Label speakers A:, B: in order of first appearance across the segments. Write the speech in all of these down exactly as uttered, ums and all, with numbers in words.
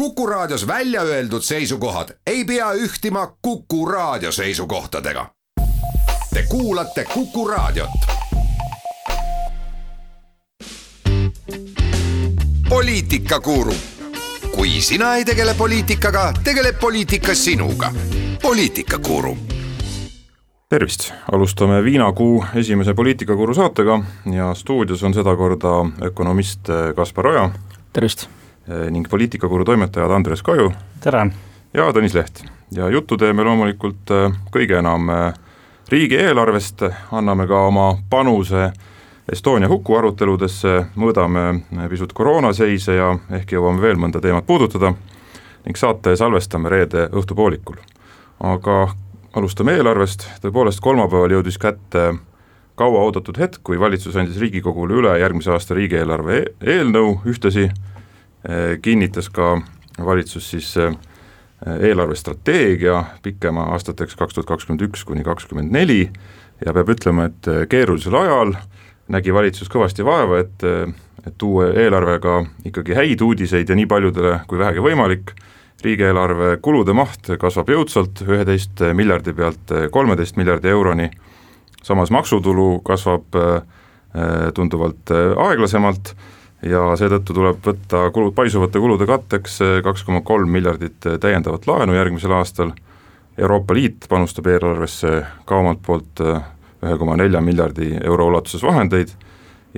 A: Kuku Raadios välja öeldud seisukohad ei pea ühtima Kuku Raadio seisukohtadega. Te kuulate Kuku Raadiot. Poliitikakuru. Kui sina ei tegele poliitikaga, tegeleb poliitika sinuga. Poliitikakuru.
B: Tervist! Alustame Viinakuu esimese poliitikakuru saatega ja stuudios on seda korda ökonomist Kaspar Oja.
C: Tervist!
B: Ning poliitikakuru toimetajad Andres Kaju.
C: Tere!
B: Ja Tõnis Leht. Ja juttu teeme loomulikult kõige enam riigieelarvest, anname ka oma panuse Estonia huku aruteludesse, mõõdame pisut koroonaseise ja ehk jõuame veel mõnda teemat puudutada ning saate salvestame reede õhtupoolikul. Aga alustame eelarvest, tõepoolest kolmapäeval jõudis kätte kaua oodatud hetk, kui valitsus andis Riigikogule üle järgmise aasta riigieelarve eelnõu, ühtesi kinnitas ka valitsus siis eelarvestrateegia pikema aastateks kaks tuhat kakskümmend üks kuni kakskümmend neli ja peab ütlema, et keerulisel ajal nägi valitsus kõvasti vaeva, et, et tuua eelarvega ikkagi häid uudiseid ja nii paljudele kui vähegi võimalik. Riigieelarve kulude maht kasvab jõudsalt üheteist miljardi pealt kolmeteist miljardi euroni, samas maksutulu kasvab tunduvalt aeglasemalt ja seetõttu tuleb võtta kulud, paisuvate kulude katteks kaks koma kolm miljardit täiendavat laenu järgmisel aastal. Euroopa Liit panustab eelarvesse ka omalt poolt üks koma neli miljardi euro ulatuses vahendeid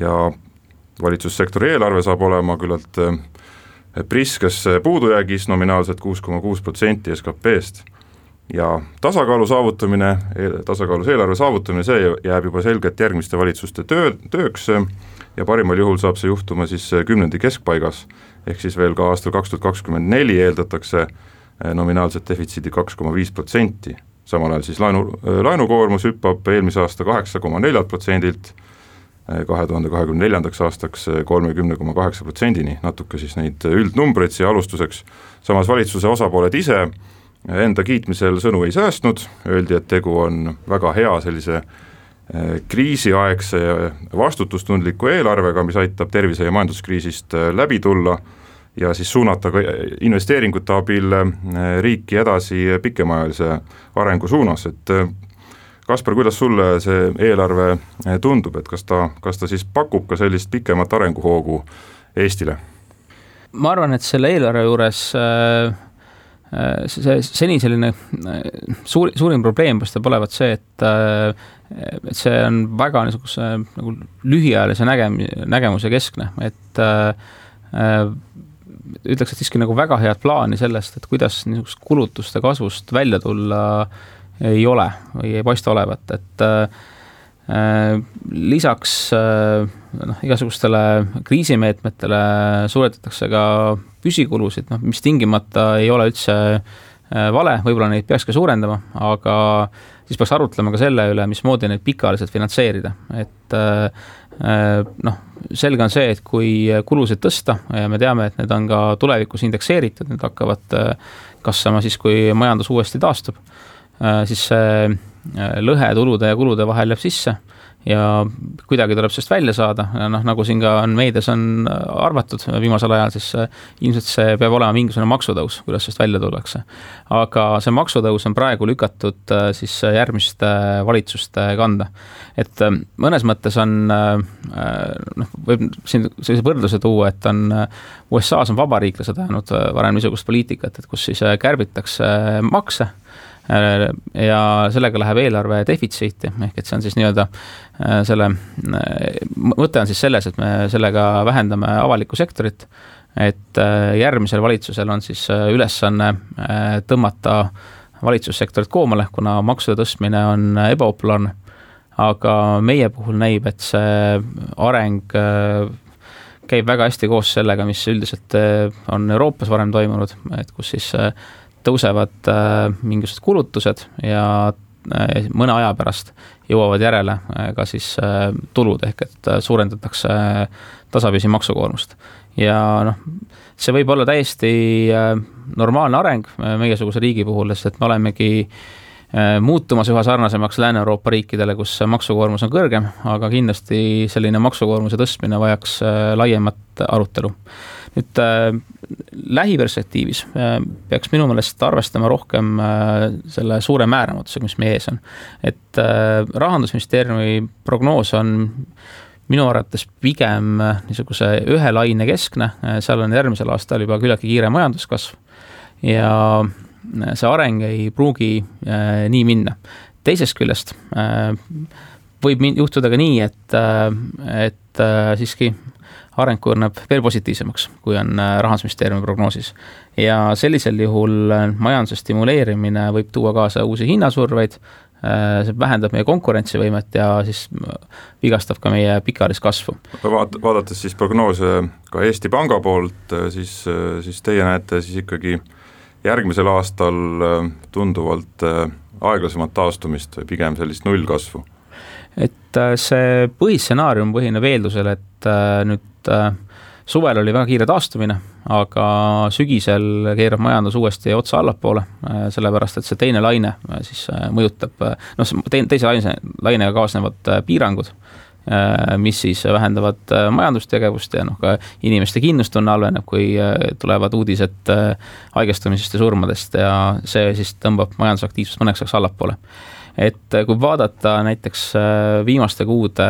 B: ja valitsussektori eelarve saab olema küllalt priskes puudujäägis nominaalselt kuus koma kuus protsenti S K P-st ja tasakaalu saavutamine, tasakaalus eelarve saavutamine, see jääb juba selgelt järgmiste valitsuste töö, tööks ja parimal juhul saab see juhtuma siis kümnendi keskpaigas, ehk siis veel ka aastal kaks tuhat kakskümmend neli eeldatakse nominaalset defitsiidi kaks koma viis protsenti. Samal ajal siis laenu, laenukoormus hüppab eelmise aasta kaheksa koma neli protsendilt kahe tuhande kahekümne neljandaks aastaks kolmkümmend koma kaheksa protsendini, natuke siis neid üldnumbreid siia alustuseks. Samas valitsuse osapooled ise enda kiitmisel sõnu ei säästnud, öeldi, et tegu on väga hea sellise kriisiaegse ja vastutustundliku eelarvega, mis aitab tervise- ja majanduskriisist läbi tulla ja siis suunata investeeringute abil riiki edasi pikemaajalise arengu suunas. Et Kaspar, kuidas sulle see eelarve tundub, et kas ta, kas ta siis pakub ka sellist pikemat arenguhoogu Eestile?
C: Ma arvan, et selle eelarve juures see seni selline suur, suurim probleem paistab olevat see, et, et see on väga niisuguse nagu lühiajalise nägem, nägemuse keskne, et äh, ütleks, et siiski nagu väga head plaani sellest, et kuidas niisugust kulutuste kasvust välja tulla ei ole või ei paista olevat, et äh, lisaks äh, noh, igasugustele kriisimeetmetele suuretatakse ka püsikulusid, noh, mis tingimata ei ole üldse vale, võib-olla neid peaks ka suurendama, aga siis peaks arutlema ka selle üle, mismoodi neid pikaajaliselt finantseerida. Et noh, selge on see, et kui kulusid tõsta ja me teame, et need on ka tulevikus indekseeritud, need hakkavad kasvama siis, kui majandus uuesti taastub, siis see lõhe tulude ja kulude vahel jääb sisse ja kuidagi tuleb sellest välja saada, noh, nagu siin ka on meedias on arvatud viimasel ajal, siis ilmselt see peab olema mingisugune maksutõus, kuidas sellest välja tullakse. Aga see maksutõus on praegu lükatud siis järgmiste valitsuste kanda. Et mõnes mõttes on, noh, võib siin sellise võrdluse tuua, et on U S A-s on vabariiklased ajanud varem niisugust poliitikat, et kus siis kärbitakse makse ja sellega läheb eelarve defitsiiti, ehk et see on siis nii-öelda selle, mõte on siis selles, et me sellega vähendame avalikku sektorit, et järgmisel valitsusel on siis ülesanne tõmmata valitsussektorit koomale, kuna maksude tõstmine on ebapopulaarne, aga meie puhul näib, et see areng käib väga hästi koos sellega, mis üldiselt on Euroopas varem toimunud, et kus siis tõusevad äh, mingisugused kulutused ja äh, mõne aja pärast jõuavad järele äh, ka siis äh, tulud, ehk et äh, suurendatakse äh, tasapisi maksukoormust. Ja noh, see võib olla täiesti äh, normaalne areng äh, meiesuguse riigi puhul, sest et me olemegi äh, muutumas üha sarnasemaks Lääne-Euroopa riikidele, kus maksukoormus on kõrgem, aga kindlasti selline maksukoormuse tõstmine vajaks äh, laiemat arutelu. nüüd äh, lähiperspektiivis äh, peaks minu meelest arvestama rohkem äh, selle suure määramatusega, mis meie ees on. Et äh, Rahandusministeeriumi prognoos on minu arvates pigem niisuguse ühe laine keskne, seal on järgmisel aastal juba küllaltki kiire majanduskasv ja see areng ei pruugi äh, nii minna. Teisest küljest äh, võib juhtuda ka nii, et, äh, et äh, siiski areng kujuneb veel positiivsemaks, kui on äh, Rahandusministeeriumi prognoosis. Ja sellisel juhul majanduse stimuleerimine võib tuua kaasa uusi hinnasurveid, see vähendab meie konkurentsivõimet ja siis vigastab ka meie pikaajalist kasvu.
B: Vaat, vaadates siis prognoose ka Eesti Panga poolt, siis, siis teie näete siis ikkagi järgmisel aastal tunduvalt aeglasemat taastumist või pigem sellist nullkasvu?
C: Et see põhistsenaarium põhineb eeldusel, et nüüd suvel oli väga kiire taastumine, aga sügisel keerab majandus uuesti otsa allapoole, sellepärast et see teine laine siis mõjutab, noh, teise laine, lainega kaasnevad piirangud, mis siis vähendavad majandustegevust ja noh, ka inimeste kindlustunne halveneb, kui tulevad uudised haigestumisest ja surmadest ja see siis tõmbab majandusaktiivsust mõneks ajaks allapoole. Et kui vaadata näiteks viimaste kuude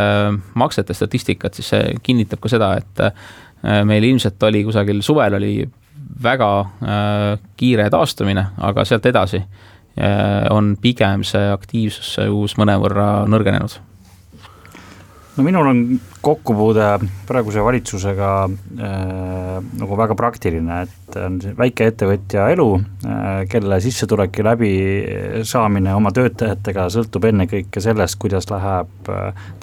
C: maksete statistikat, siis see kinnitab ka seda, et meil ilmselt oli kusagil suvel oli väga äh, kiire taastumine, aga sealt edasi äh, on pigem see aktiivsus uus mõnevõrra nõrgenenud.
D: No minul on kokkupuude praeguse valitsusega äh, nagu väga praktiline, et on väike ettevõtja elu, äh, kelle sissetuleki läbi saamine oma töötajatega sõltub enne kõike sellest, kuidas läheb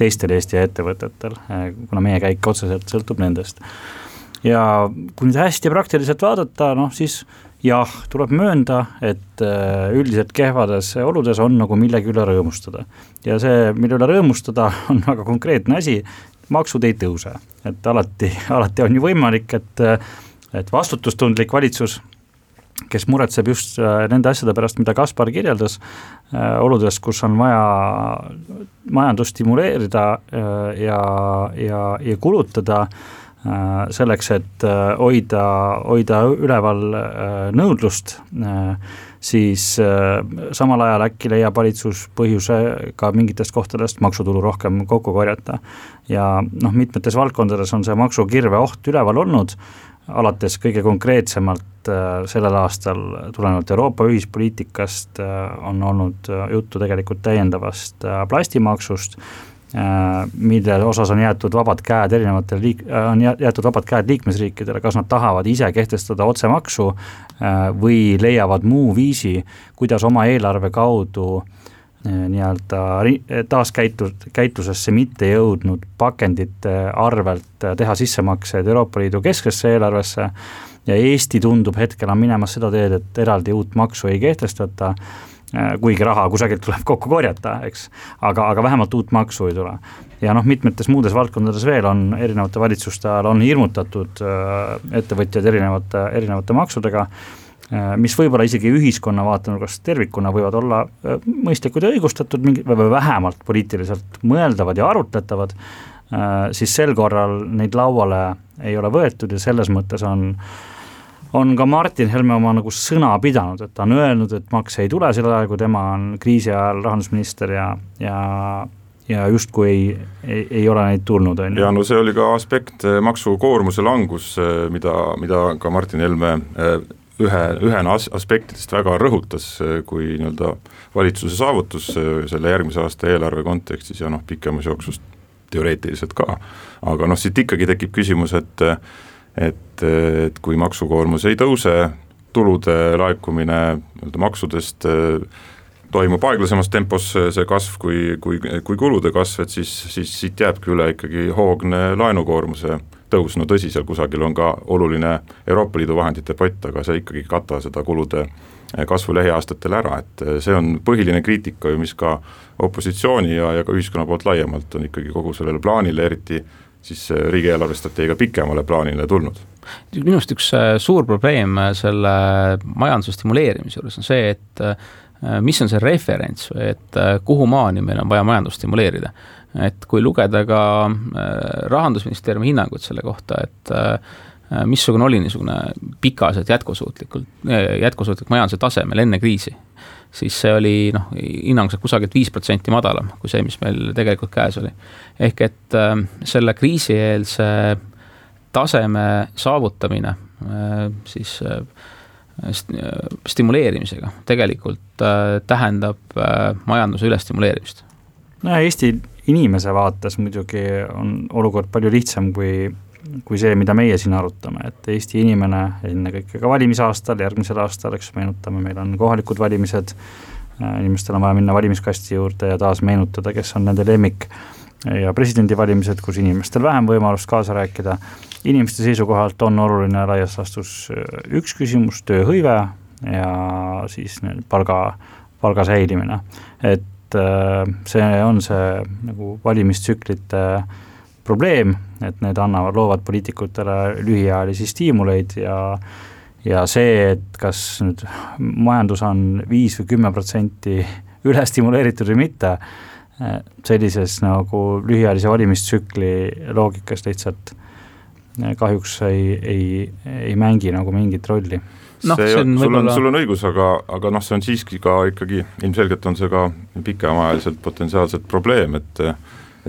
D: teistel Eesti ettevõtetel, äh, kuna meie käik otseselt sõltub nendest. Ja kui nüüd hästi praktiliselt vaadata, noh siis jah, tuleb möönda, et üldiselt kehvades oludes on nagu millegi üle rõõmustada. Ja see, mille üle rõõmustada, on väga konkreetne asi, maksud ei tõuse. Et alati, alati on ju võimalik, et, et vastutustundlik valitsus, kes muretseb just nende asjade pärast, mida Kaspar kirjeldas, oludes, kus on vaja majandust stimuleerida ja, ja, ja kulutada, selleks, et hoida, hoida üleval nõudlust, siis samal ajal äkki leiab valitsus põhjuse ka mingitest kohtadest maksutulu rohkem kokku korjata. Ja noh, mitmetes valdkondades on see maksukirve oht üleval olnud, alates kõige konkreetsemalt sellel aastal tulenevalt Euroopa ühispoliitikast on olnud juttu tegelikult täiendavast plastimaksust, mille osas on jäetud vabad käed erinevatele liik- on jäetud vabad käed liikmesriikidele, kas nad tahavad ise kehtestada otsemaksu või leiavad muu viisi, kuidas oma eelarve kaudu nii-öelda taaskäitus, käitusesse mitte jõudnud pakendite arvelt teha sissemakseid Euroopa Liidu keskesse eelarvesse ja Eesti tundub hetkel on minemas seda teed, et eraldi uut maksu ei kehtestata, kuigi raha kusagilt tuleb kokku korjata, eks, aga, aga vähemalt uut maksu ei tule. Ja noh, mitmetes muudes valdkondades veel on erinevate valitsuste ajal on hirmutatud ettevõtjad erinevate, erinevate maksudega, mis võib-olla isegi ühiskonna vaatenurgast tervikuna võivad olla mõistlikud ja õigustatud või vähemalt poliitiliselt mõeldavad ja arutletavad, siis sel korral neid lauale ei ole võetud ja selles mõttes on on ka Martin Helme oma nagu sõna pidanud, et ta on öelnud, et maks ei tule selle ajal, kui tema on kriisi ajal rahandusminister ja, ja, ja justkui ei, ei, ei ole neid tulnud. On.
B: Ja no see oli ka aspekt maksukoormuse langus, mida, mida ka Martin Helme ühe, ühena aspektidest väga rõhutas, kui nii-öelda valitsuse saavutus selle järgmise aasta eelarve kontekstis ja noh, pikemas jooksust teoreetiliselt ka. Aga noh, siit ikkagi tekib küsimus, et Et, et kui maksukoormus ei tõuse, tulude laekumine maksudest toimub aeglasemas tempos see kasv kui, kui, kui kulude kasv, et siis, siis siit jääbki üle ikkagi hoogne laenukoormuse tõus. No tõsi, seal kusagil on ka oluline Euroopa Liidu vahendite pott, aga see ikkagi kata seda kulude kasvu lähiaastatel ära, et see on põhiline kriitika, mis ka opositsiooni ja, ja ka ühiskonna poolt laiemalt on ikkagi kogu sellele plaanile, eriti siis riigieelarvestrateegia pikemale plaanile tulnud.
C: Minust üks suur probleem selle majanduse stimuleerimise juures on see, et mis on see referents, et kuhu maani meil on vaja majandust stimuleerida. Et kui lugeda ka Rahandusministeeriumi hinnangut selle kohta, et missugune oli niisugune pikaselt jätkusuutlikult, jätkusuutlik majanduse tasemel enne kriisi, siis see oli noh, hinnanguliselt kusagilt viis protsenti madalam kui see, mis meil tegelikult käes oli. Ehk et äh, selle kriisieelse taseme saavutamine äh, siis äh, stimuleerimisega tegelikult äh, tähendab äh, majanduse ülestimuleerimist.
D: No Eesti inimese vaates muidugi on olukord palju lihtsam kui kui see, mida meie siin arutame, et Eesti inimene enne kõike ka valimisaastal, järgmisel aastal, eks meenutame, meil on kohalikud valimised, inimestel on vaja minna valimiskasti juurde ja taas meenutada, kes on nende lemmik ja presidendivalimised, kus inimestel vähem võimalust kaasa rääkida. Inimeste seisukohalt on oluline laias laastus üks küsimus, tööhõive ja siis palga, palga säilimine. Et see on see nagu valimistsüklite probleem, et need annavad, loovad poliitikutele lühiajalisi stiimuleid ja, ja see, et kas nüüd majandus on viis või kümme protsenti üle stimuleeritud või mitte, sellises nagu lühiajalise valimistsükli loogikas lihtsalt kahjuks ei, ei, ei mängi nagu mingit rolli.
B: No, see, see on sul, võibolla... on, sul on õigus, aga, aga noh, see on siiski ka ikkagi, ilmselgelt on see ka pikemaajaliselt potentsiaalselt probleem, et,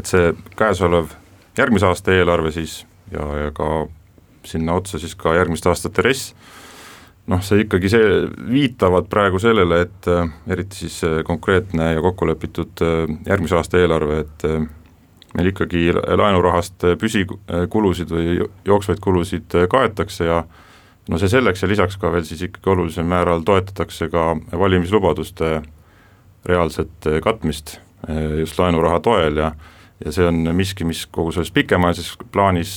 B: et see käesolev järgmise aasta eelarve siis ja, ja ka sinna otsa siis ka järgmiste aastate res, noh see ikkagi see viitavad praegu sellele, et eriti siis konkreetne ja kokkulepitud järgmise aasta eelarve, et meil ikkagi laenurahast püsikulusid või jooksvaid kulusid kaetakse ja no see selleks ja lisaks ka veel siis ikkagi olulisel määral toetatakse ka valimislubaduste reaalset katmist just laenuraha toel ja ja see on miski, mis kogu selles pikemaajalises plaanis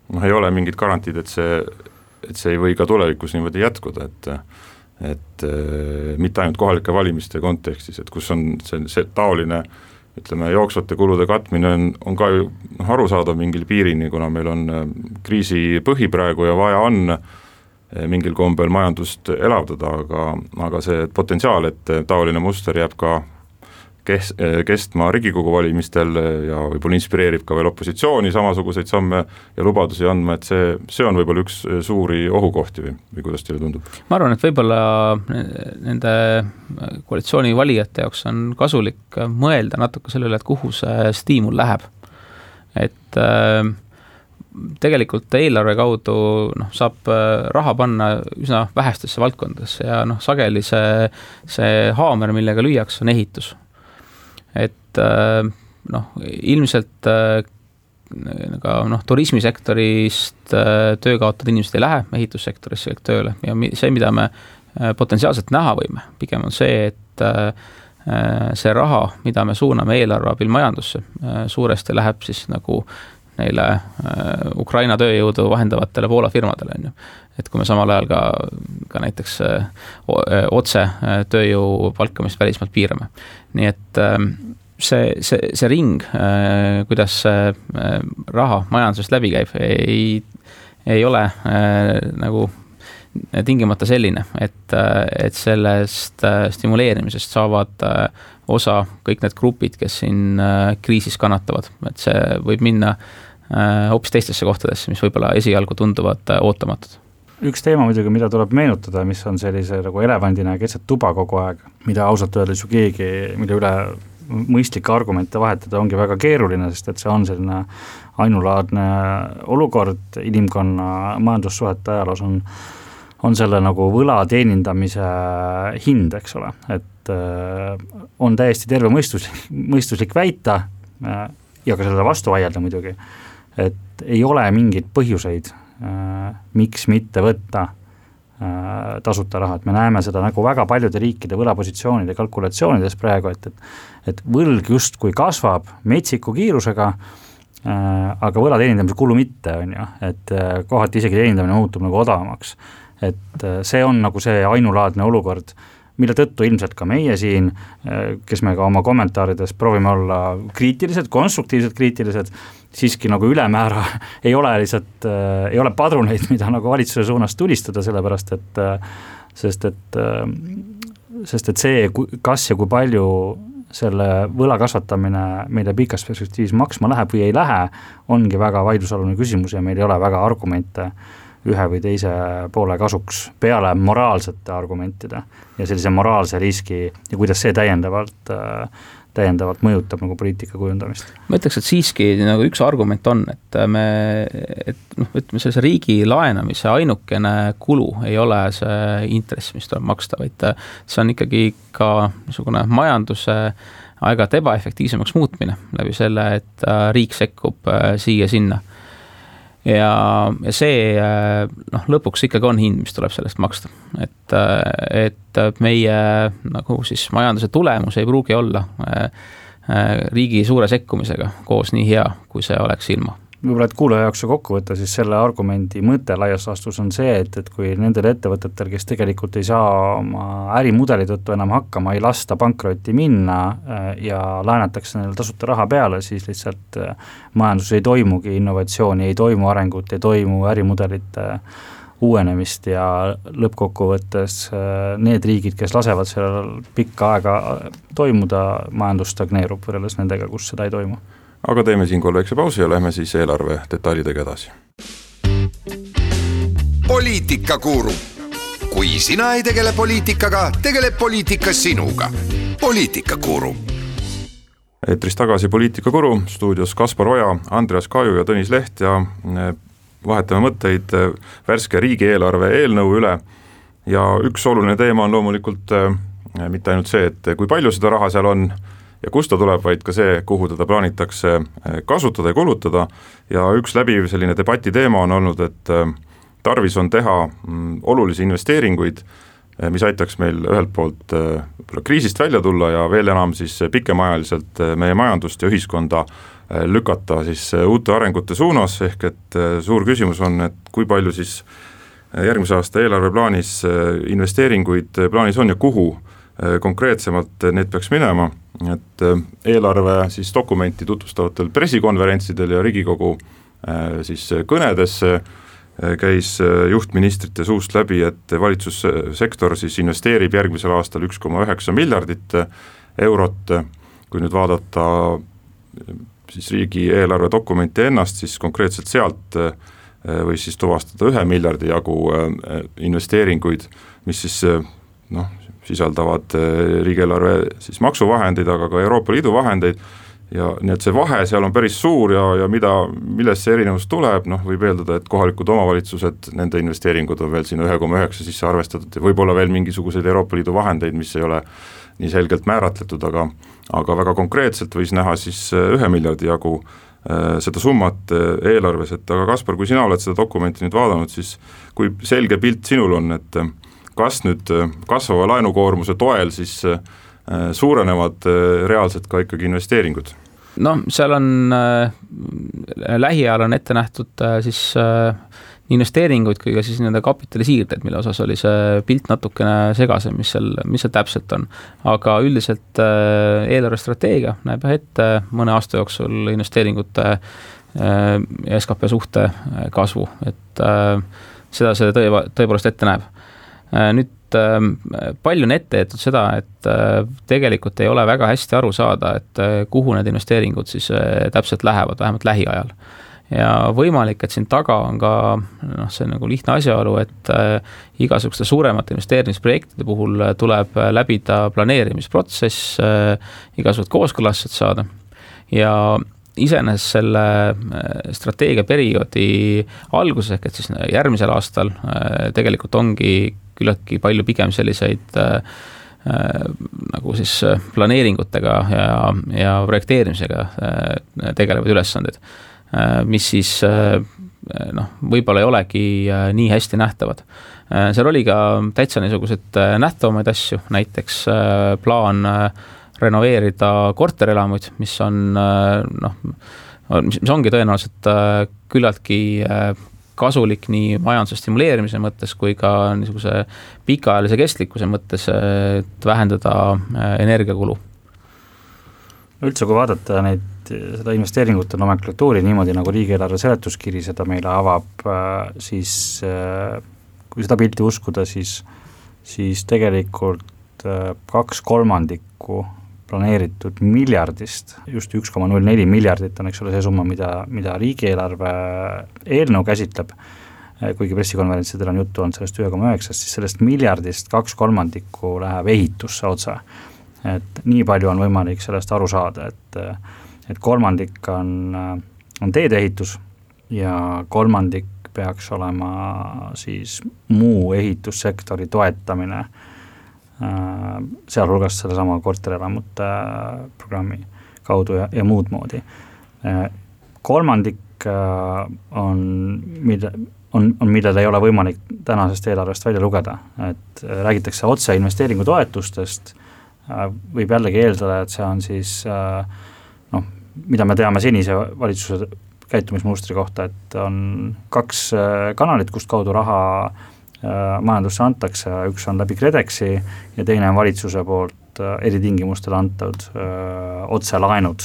B: noh, ei ole mingit garantiid, et see, et see ei või ka tulevikus niimoodi jätkuda, et, et mitte ainult kohalike valimiste kontekstis, et kus on see, see taoline ütleme, jooksvate kulude katmine on, on ka ju noh, arusaadav mingil piirini, kuna meil on kriisi põhi praegu ja vaja on mingil kombel majandust elavdada, aga, aga see potentsiaal, et taoline muster jääb ka kestma Riigikogu valimistel ja võib-olla inspireerib ka veel opositsiooni samasuguseid samme ja lubadusi andma, et see, see on võib-olla üks suuri ohukohti või, või kuidas teile tundub?
C: Ma arvan, et võib-olla nende koalitsiooni valijate jaoks on kasulik mõelda natuke sellele, et kuhu see stiimul läheb. Et äh, tegelikult eelarve kaudu noh, saab raha panna üsna vähestesse valdkondadesse ja noh, sageli see, see haamer, millega lüüaks, on ehitus. Et noh, ilmselt ka noh, turismisektorist töö kaotada inimesed ei lähe ehitussektorisse tööle ja see, mida me potentsiaalselt näha võime, pigem on see, et see raha, mida me suuname eelarve abil majandusse, suuresti läheb siis nagu neile Ukraina tööjõudu vahendavatele Poola firmadele, on ju. Et kui me samal ajal ka, ka näiteks otse tööjõu palkamist välismaalt piirame. Nii et see, see, see ring, kuidas see raha majandusest läbi käib, ei, ei ole nagu tingimata selline, et, et sellest stimuleerimisest saavad osa kõik need grupid, kes siin kriisis kannatavad. Et see võib minna hoopis teistesse kohtadesse, mis võib-olla esialgu tunduvad ootamatud.
D: Üks teema muidugi, mida tuleb meenutada, mis on sellise nagu elevandina keset tuba kogu aeg, mida ausalt öeldes ju keegi, mille üle mõistlikke argumente vahetada ongi väga keeruline, sest et see on selline ainulaadne olukord inimkonna majandussuhete ajaloos on, on selle nagu võla teenindamise hind, eks ole, et on täiesti terve mõistuslik, mõistuslik väita ja ka selle vastu vaielda muidugi, et ei ole mingeid põhjuseid, miks mitte võtta tasuta raha, et me näeme seda nagu väga paljude riikide võlapositsioonide kalkulatsioonides praegu, et, et, et võlg just kui kasvab metsiku kiirusega, aga võla teenindamise kulu mitte, on ju, et kohati isegi teenindamine muutub nagu odavamaks, et see on nagu see ainulaadne olukord, mille tõttu ilmselt ka meie siin, kes me ka oma kommentaarides proovime olla kriitilised, konstruktiivsed kriitilised, siiski nagu ülemäära ei ole lihtsalt, ei ole padruneid, mida nagu valitsuse suunas tulistada, sellepärast et, sest et, sest et see, kas ja kui palju selle võla kasvatamine meile pikas perspektiivis maksma läheb või ei lähe, ongi väga vaidlusalune küsimus ja meil ei ole väga argumente ühe või teise poole kasuks peale moraalsete argumentide ja sellise moraalse riski ja kuidas see täiendavalt, täiendavalt mõjutab nagu poliitika kujundamist.
C: Ma ütleks, et siiski nagu üks argument on, et me, et noh, ütleme sellise riigi laenamise ainukene kulu ei ole see intress, mis tuleb maksta, vaid see on ikkagi ka niisugune majanduse aeg-ajalt ebaefektiivsemaks muutmine läbi selle, et riik sekkub siia-sinna. Ja, ja see noh, lõpuks ikkagi on hind, mis tuleb sellest maksta. Et, et meie nagu siis majanduse tulemus ei pruugi olla riigi suure sekkumisega koos nii hea, kui see oleks ilma.
D: Võib-olla, et kuulaja jaoks kokku võtta, siis selle argumendi mõte laias laastus on see, et, et kui nendel ettevõtetel, kes tegelikult ei saa oma ärimudeli tõttu enam hakkama, ei lasta pankrotti minna ja laenatakse neil tasuta raha peale, siis lihtsalt majandus ei toimugi innovatsiooni, ei toimu arengut, ei toimu ärimudelite uuenemist ja lõppkokkuvõttes need riigid, kes lasevad sellel pikka aega toimuda, majandus stagneerub võrreldes nendega, kus seda ei toimu.
B: Aga teeme siinkohal väikse pausi ja lähme siis eelarve detailidega edasi.
A: Poliitikakuru. Kui sina ei tegele poliitikaga, tegeleb poliitika sinuga. Poliitikakuru.
B: Eetris tagasi Poliitikakuru, stuudios Kaspar Oja, Andreas Kaju ja Tõnis Leht ja vahetame mõtteid värske riigieelarve eelnõu üle ja üks oluline teema on loomulikult mitte ainult see, et kui palju seda raha seal on ja kust ta tuleb, vaid ka see, kuhu teda plaanitakse kasutada ja kulutada ja üks läbiv selline debati teema on olnud, et tarvis on teha olulisi investeeringuid, mis aitaks meil ühelt poolt kriisist välja tulla ja veel enam siis pikemaajaliselt meie majandust ja ühiskonda lükata siis uute arengute suunas, ehk et suur küsimus on, et kui palju siis järgmise aasta eelarveplaanis investeeringuid plaanis on ja kuhu konkreetsemalt need peaks minema, et eelarve siis dokumenti tutvustavatel pressikonverentsidel ja Riigikogu siis kõnedes käis juhtministrite suust läbi, et valitsussektor siis investeerib järgmisel aastal üks koma üheksa miljardit eurot, kui nüüd vaadata siis riigi eelarve dokumenti ennast, siis konkreetselt sealt või siis tuvastada ühe miljardi jagu investeeringuid, mis siis noh, sisaldavad riigieelarve siis maksuvahendeid, aga ka Euroopa Liidu vahendeid ja nii et see vahe seal on päris suur ja, ja mida, millest see erinevus tuleb, noh võib eeldada, et kohalikud omavalitsused, nende investeeringud on veel sinna ühe koma üheksa sisse arvestatud ja võib-olla veel mingisuguseid Euroopa Liidu vahendeid, mis ei ole nii selgelt määratletud, aga, aga väga konkreetselt võis näha siis ühe miljardi jagu seda summat eelarves, et aga Kaspar, kui sina oled seda dokumenti nüüd vaadanud, siis kui selge pilt sinul on, et kas nüüd kasvava laenukoormuse toel siis suurenevad reaalselt ka ikkagi investeeringud?
C: No seal on äh, lähiajal on ette nähtud äh, siis äh, investeeringuid kui ka siis nende kapitalisiirded, mille osas oli see pilt natukene segasem, mis seal, mis seal täpselt on. Aga üldiselt äh, eelarvestrateegia näeb ette mõne aasta jooksul investeeringute äh, ja S K P suhte kasvu, et äh, seda see tõe, tõepoolest ette näeb. Nüüd palju on ette jäetud seda, et tegelikult ei ole väga hästi aru saada, et kuhu need investeeringud siis täpselt lähevad, vähemalt lähiajal. Ja võimalik, et siin taga on ka noh, see nagu lihtne asjaolu, et igasuguste suuremate investeerimisprojektide puhul tuleb läbida planeerimisprotsess, igasugused kooskõlastused saada ja iseenesest selle strateegiaperioodi alguses ehk et siis järgmisel aastal tegelikult ongi küllaltki palju pigem selliseid äh, nagu siis planeeringutega ja, ja projekteerimisega äh, tegelevad ülesanded, äh, mis siis äh, noh, võib-olla ei olegi äh, nii hästi nähtavad. Äh, seal oli ka täitsa niisugused äh, nähtavamaid asju, näiteks äh, plaan äh, renoveerida korterelamuid, mis on äh, noh, mis, mis ongi tõenäoliselt äh, küllaltki äh, kasulik nii majanduse stimuleerimise mõttes kui ka niisuguse pikaajalise kestlikkuse mõttes, et vähendada energiakulu.
D: Üldse, kui vaadata neid, seda investeeringute nomenklatuuri niimoodi nagu riigieelarve seletuskiri seda meile avab, siis kui seda pilti uskuda, siis, siis tegelikult kaks kolmandikku planeeritud miljardist, just üks koma null neli miljardit on, eks ole, see summa, mida, mida riigieelarve eelnõu käsitleb, kuigi pressikonverentsidel on juttu olnud sellest ühe koma üheksast, siis sellest miljardist kaks kolmandikku läheb ehitusse otse. Et nii palju on võimalik sellest aru saada, et, et kolmandik on, on teedeehitus ja kolmandik peaks olema siis muu ehitussektori toetamine, sealhulgas selle sama korterelamute programmi kaudu ja, ja muud moodi. Kolmandik on, mida, on, on, millel ei ole võimalik tänasest eelarvest välja lugeda, et räägitakse otse investeeringutoetustest, võib jällegi eeldada, et see on siis noh, mida me teame senise valitsuse käitumismustri kohta, et on kaks kanalit, kust kaudu raha majandusse antakse, üks on läbi KredExi ja teine on valitsuse poolt eritingimustel antud öö, otselaenud.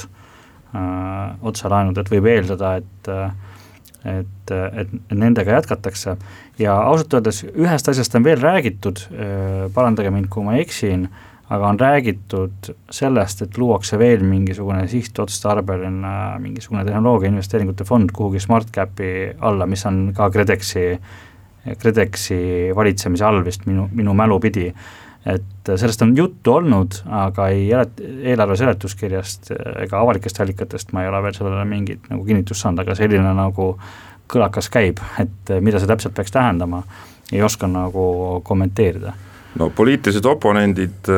D: Otselaenud, et võib eeldada, et, et, et nendega jätkatakse. Ja ausalt öeldes ühest asjast on veel räägitud, parandage mind, kui ma eksin, aga on räägitud sellest, et luuakse veel mingisugune sihtotstarbeline mingisugune tehnoloogia investeeringute fond kuhugi SmartCapi alla, mis on ka KredExi KredExi valitsemise all vist minu, minu mälu pidi, et sellest on juttu olnud, aga ei eelarve seletuskirjast ega avalikest allikatest ma ei ole veel sellele mingit nagu kinnitust saanud, aga selline nagu kõlakas käib, et mida see täpselt peaks tähendama, ei oska nagu kommenteerida.
B: No poliitilised oponendid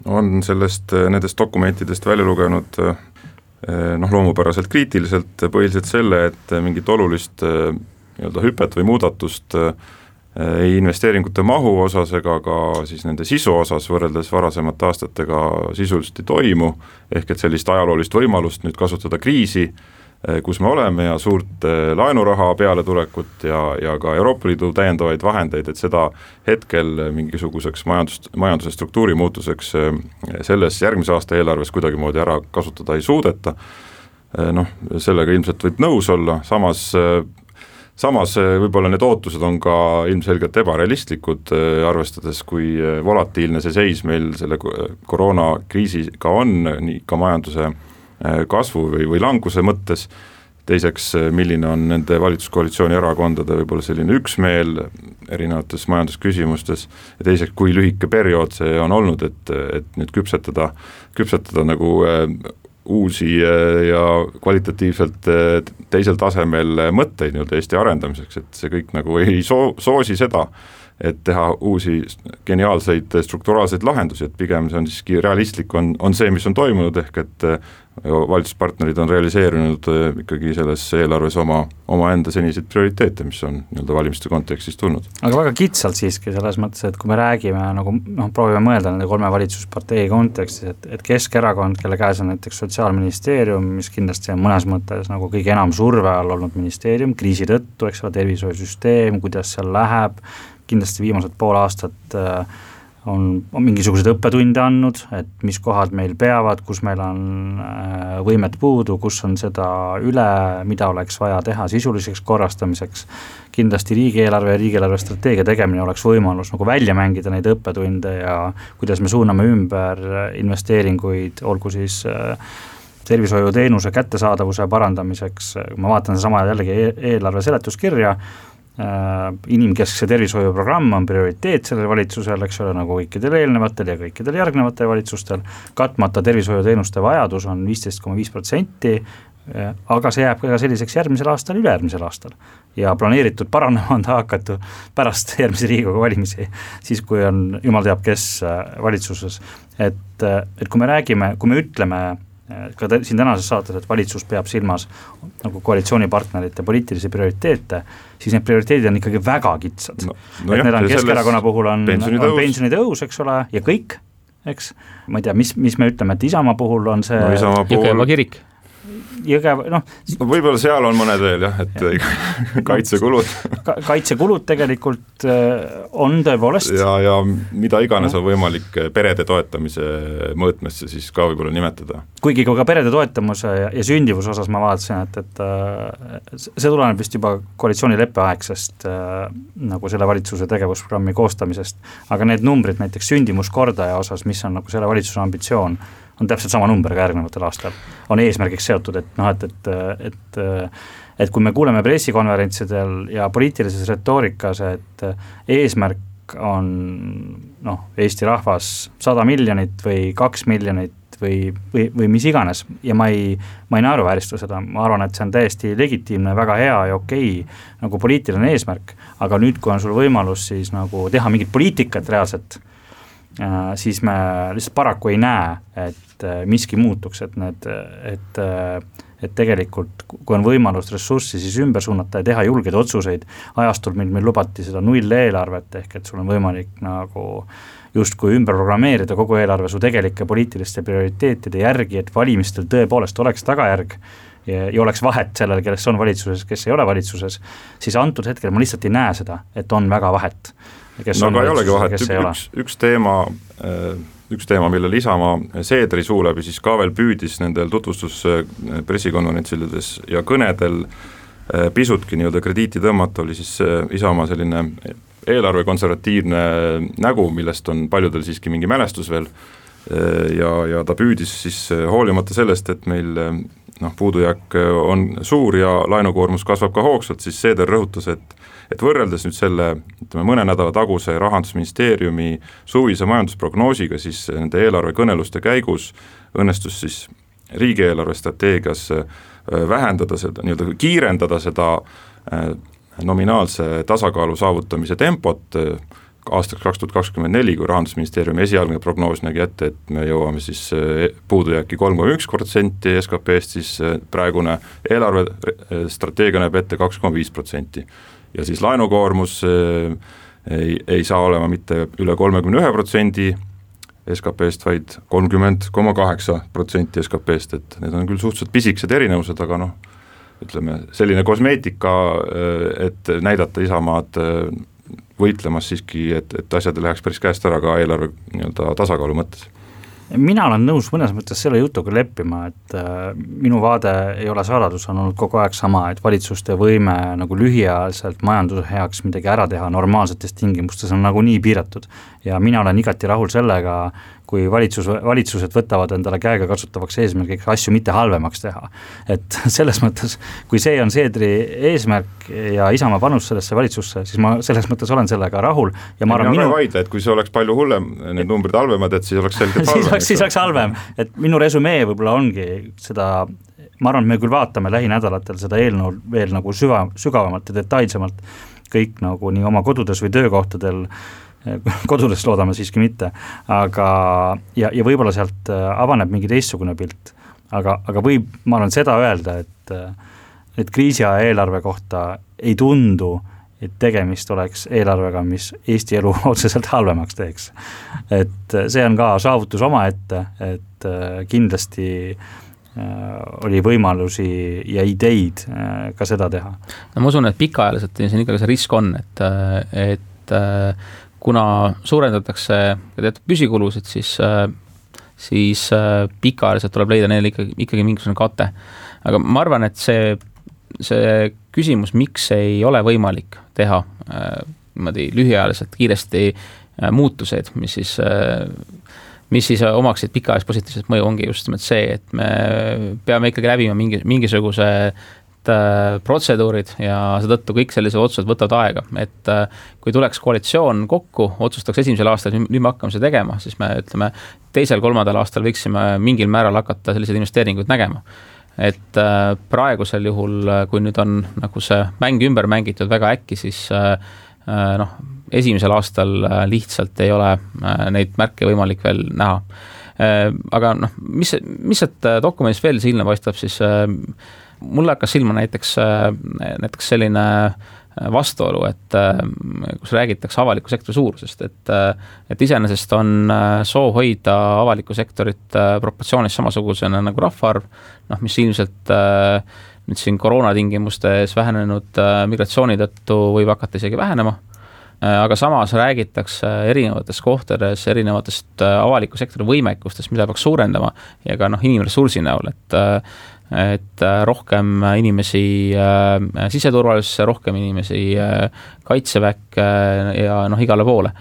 B: on sellest, nendest dokumentidest välja lugenud noh, loomupäraselt kriitiliselt põhiliselt selle, et mingit olulist nii-öelda hüpet või muudatust ei investeeringute mahu osas ega ka siis nende sisu osas võrreldes varasemate aastatega sisuliselt ei toimu, ehk et sellist ajaloolist võimalust nüüd kasutada kriisi, kus me oleme ja suurt laenuraha peale tulekut ja, ja ka Euroopa Liidu täiendavaid vahendeid, et seda hetkel mingisuguseks majandus, majanduse struktuuri muutuseks selles järgmise aasta eelarves kuidagi moodi ära kasutada ei suudeta. Noh, sellega ilmselt võib nõus olla, samas Samas võib-olla need ootused on ka ilmselgelt ebarealistlikud, arvestades kui volatiilne see seis meil selle koroonakriisiga on, nii ka majanduse kasvu või, või languse mõttes. Teiseks, milline on nende valitsuskoalitsiooni erakondade võib-olla selline üksmeel erinevates majandusküsimustes ja teiseks, kui lühike periood see on olnud, et, et nüüd küpsetada, küpsetada nagu uusi ja kvalitatiivselt teisel tasemel mõtteid nii-öelda Eesti arendamiseks, et see kõik nagu ei soo, soosi seda, et teha uusi geniaalseid strukturaalseid lahendusi, et pigem see on siiski realistlik, on, on see, mis on toimunud, ehk et valitsuspartnerid on realiseerinud ikkagi selles eelarves oma, oma enda seniseid prioriteete, mis on nii-öelda valimiste kontekstis tulnud.
D: Aga väga kitsalt siiski selles mõttes, et kui me räägime, nagu noh, proovime mõelda nende kolme valitsuspartei kontekstis, et, et Keskerakond, kelle käes on näiteks Sotsiaalministeerium, mis kindlasti on mõnes mõttes nagu kõige enam surve all olnud ministeerium, kriisi tõttu, eks ole, tervishoiusüsteem, kuidas seal läheb, kindlasti viimased pool aastat on, on mingisugused õppetunde andnud, et mis kohad meil peavad, kus meil on võimet puudu, kus on seda üle, mida oleks vaja teha sisuliseks korrastamiseks. Kindlasti riigieelarve ja riigieelarve strateegia tegemine oleks võimalus nagu välja mängida neid õppetunde ja kuidas me suuname ümber investeeringuid, olgu siis tervishoiuteenuse kättesaadavuse parandamiseks. Ma vaatan sama jällegi eelarve seletuskirja, inimkeskse tervishoiuprogramm on prioriteet sellel valitsusel, eks ole, nagu kõikidel eelnevatel ja kõikidel järgnevatel valitsustel. Katmata tervishoiuteenuste vajadus on viisteist koma viis protsenti, aga see jääb ka selliseks järgmisel aastal, ülejärgmisel aastal. Ja planeeritud paranema on ta hakatu pärast järgmise Riigikogu valimisi, siis kui on jumal teab kes valitsuses. Et, et kui me räägime, kui me ütleme ka siin tänases saates, et valitsus peab silmas nagu koalitsioonipartnerite poliitilisi prioriteete, siis need prioriteedid on ikkagi väga kitsad. No, no et jah, need on Keskerakonna puhul on pensionitõus, eks ole, ja kõik, eks. Ma ei tea, mis, mis me ütleme, et Isamaa puhul on see
B: no,
C: Jõgeva kirik.
D: Jõgev, noh.
B: No võib-olla seal on mõned veel jah, et ja. kaitsekulud.
D: Ka, kaitsekulud tegelikult on tõepoolest.
B: Ja, ja mida iganes on võimalik perede toetamise mõõtmesse siis ka võib-olla nimetada.
D: Kuigi ka perede toetamise ja, ja sündivuse osas ma vaatasin, et, et see tuleneb vist juba koalitsioonileppe aegsest nagu selle valitsuse tegevusprogrammi koostamisest, aga need numbrid näiteks sündimuskordaja osas, mis on nagu selle valitsuse ambitsioon, on täpselt sama number ka järgnevatel aastal, on eesmärgiks seotud, et noh, et, et, et, et kui me kuuleme pressikonverentsidel ja poliitilises retoorikas, et eesmärk on noh, Eesti rahvas sada miljonit või kaks miljonit või, või, või mis iganes ja ma ei, ma ei naeruväärista seda, ma arvan, et see on täiesti legitiimne, väga hea ja okei nagu poliitiline eesmärk, aga nüüd, kui on sul võimalus siis nagu teha mingit poliitikat reaalselt, siis me lihtsalt paraku ei näe, et miski muutuks, et need, et, et tegelikult kui on võimalus ressurssi siis ümber suunata ja teha julgeid otsuseid, ajastul meil, meil lubati seda null eelarvet, ehk et sul on võimalik nagu justkui ümber programmeerida kogu eelarve su tegelike poliitiliste prioriteetide järgi, et valimistel tõepoolest oleks tagajärg ja, ja oleks vahet sellel, kes on valitsuses, kes ei ole valitsuses, siis antud hetkel ma lihtsalt ei näe seda, et on väga vahet.
B: No aga ei olegi vahet, üks, üks teema, üks teema, mille Isamaa Seedri suu läbi siis ka veel püüdis nendel tutvustus pressikonverentsides ja kõnedel pisutki nii-öelda krediiti tõmmata, oli siis Isamaa selline eelarve konservatiivne nägu, millest on paljudel siiski mingi mälestus veel ja, ja ta püüdis siis hoolimata sellest, et meil noh, puudujääk on suur ja laenukoormus kasvab ka hoogsalt, siis Seeder rõhutas, et, et võrreldes nüüd selle ütleme, mõne nädala taguse Rahandusministeeriumi suvise majandusprognoosiga, siis nende eelarvekõneluste käigus õnnestus siis riigieelarve strateegias vähendada seda, nii-öelda kiirendada seda nominaalse tasakaalu saavutamise tempot aastaks kaks tuhat kakskümmend neli, kui Rahandusministeeriumi esialgne prognoos nägi ette, et me jõuame siis puudujääki kolm koma üks protsenti S K P-st, siis praegune eelarve strateegia näeb ette kaks koma viis protsenti. Ja siis laenukoormus ei, ei saa olema mitte üle kolmekümne ühe protsendi S K P-st, vaid kolmkümmend koma kaheksa protsenti S K P-st, et need on küll suhteliselt pisikesed erinevused, aga noh, ütleme, selline kosmeetika, et näidata Isamaad võitlemas siiski, et, et asjad läheks päris käest ära ka eelarve nii-öelda tasakaalu mõttes.
D: Mina olen nõus mõnes mõttes selle jutuga leppima, et minu vaade ei ole saladus, on olnud kogu aeg sama, et valitsuste võime nagu lühiajaliselt majanduse heaks midagi ära teha normaalsetes tingimustes on nagu nii piiratud ja mina olen igati rahul sellega, kui valitsus, valitsused võtavad endale käega kasutavaks eesmärgiks asju mitte halvemaks teha. Et selles mõttes, kui see on Seedri eesmärk ja Isamaa panus sellesse valitsusse, siis ma selles mõttes olen sellega rahul. Ja ma arvan,
B: minu... vaidle, et kui see oleks palju hullem, need numbrid halvemad, et siis oleks selgelt halvem.
D: siis, oleks, siis oleks halvem, et minu resümee võib-olla ongi seda, ma arvan, me küll vaatame lähinädalatel seda eelnõu veel nagu süva, sügavamalt ja detailsemalt kõik nagu nii oma kodudes või töökohtadel, kodudes loodame siiski mitte, aga ja, ja võib-olla sealt avaneb mingi teistsugune pilt, aga, aga võib, ma arvan seda öelda, et, et kriisiaja eelarve kohta ei tundu, et tegemist oleks eelarvega, mis Eesti elu otseselt halvemaks teeks. Et see on ka saavutus oma ette, et kindlasti oli võimalusi ja ideid ka seda teha.
C: No ma usun, et pikaajaliselt siin ikkagi see risk on, et, et kuna suurendatakse teatud püsikulusid, siis, siis pikaajaliselt tuleb leida neile ikkagi, ikkagi mingisugune kate. Aga ma arvan, et see, see küsimus, miks ei ole võimalik teha niimoodi lühiajaliselt kiiresti muutuseid, mis siis, mis siis omaksid pikaajalist positiivset mõju, ongi just see, et me peame ikkagi läbima mingi, mingisuguse protseduurid ja seetõttu kõik sellised otsused võtavad aega, et kui tuleks koalitsioon kokku, otsustaks esimesel aastal, nüüd me hakkame seda tegema, siis me ütleme, teisel, kolmandal aastal võiksime mingil määral hakata selliseid investeeringuid nägema. Et praegusel juhul, kui nüüd on nagu see mäng ümber mängitud väga äkki, siis noh, esimesel aastal lihtsalt ei ole neid märke võimalik veel näha. Aga noh, mis, mis et dokumendis veel silma paistab, siis mulle hakkas silma näiteks, näiteks selline vastuolu, et kus räägitakse avaliku sektori suurusest, et, et iseenesest on soov hoida avaliku sektorit proportsioonis samasugusena nagu rahvaarv, noh, mis ilmselt nüüd siin koroonatingimustes vähenenud migratsiooni tõttu võib hakata isegi vähenema, aga samas räägitakse erinevates kohtades, erinevatest avaliku sektori võimekustest, mida peaks suurendama ja ka noh, inimressursi näol, et et rohkem inimesi siseturvalisusse, rohkem inimesi kaitseväkke ja noh, igale poole.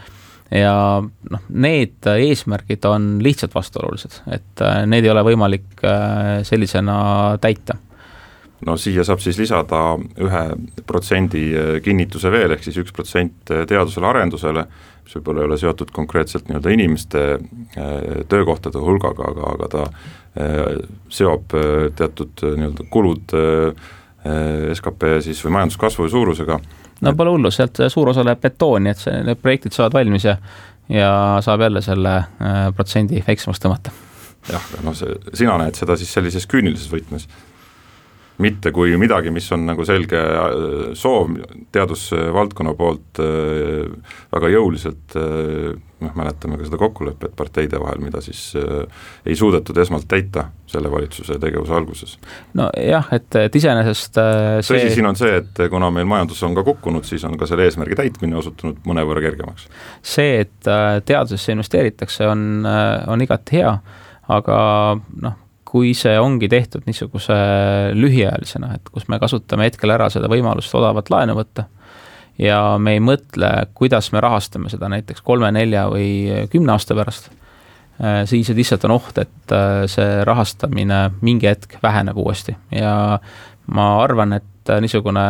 C: ja noh, need eesmärgid on lihtsalt vastuolulised, et need ei ole võimalik sellisena täita.
B: No siia saab siis lisada ühe protsendi kinnituse veel, ehk siis üks protsent teadusele arendusele, mis võib-olla ei ole seotud konkreetselt nii-öelda inimeste töökohtade hulgaga, aga, aga ta seob teatud nii-öelda kulud S K P siis või majanduskasvu suurusega.
C: No pole hullu, sealt suur osa läheb betooni, et see, need projektid saavad valmis ja, ja saab jälle selle protsendi väiksemaks tõmmata.
B: Jah, no see, sina näed seda siis sellises küünilises võtmes. Mitte kui midagi, mis on nagu selge soov teadusvaldkonna poolt väga jõuliselt, noh, mäletame ka seda kokkulepet parteide vahel, mida siis ei suudetud esmalt täita selle valitsuse tegevuse alguses.
C: No jah, et, et iseenesest see...
B: Tõsi, siin on see, et kuna meil majandus on ka kukkunud, siis on ka selle eesmärgi täitmine osutunud mõnevõrra kergemaks.
C: See, et teadusesse investeeritakse, on, on igati hea, aga noh, kui see ongi tehtud niisuguse lühiajalisena, et kus me kasutame hetkel ära seda võimalust odavat laenu võtta ja me ei mõtle, kuidas me rahastame seda näiteks kolme, nelja või kümne aasta pärast, siis lihtsalt on oht, et see rahastamine mingi hetk väheneb uuesti ja ma arvan, et niisugune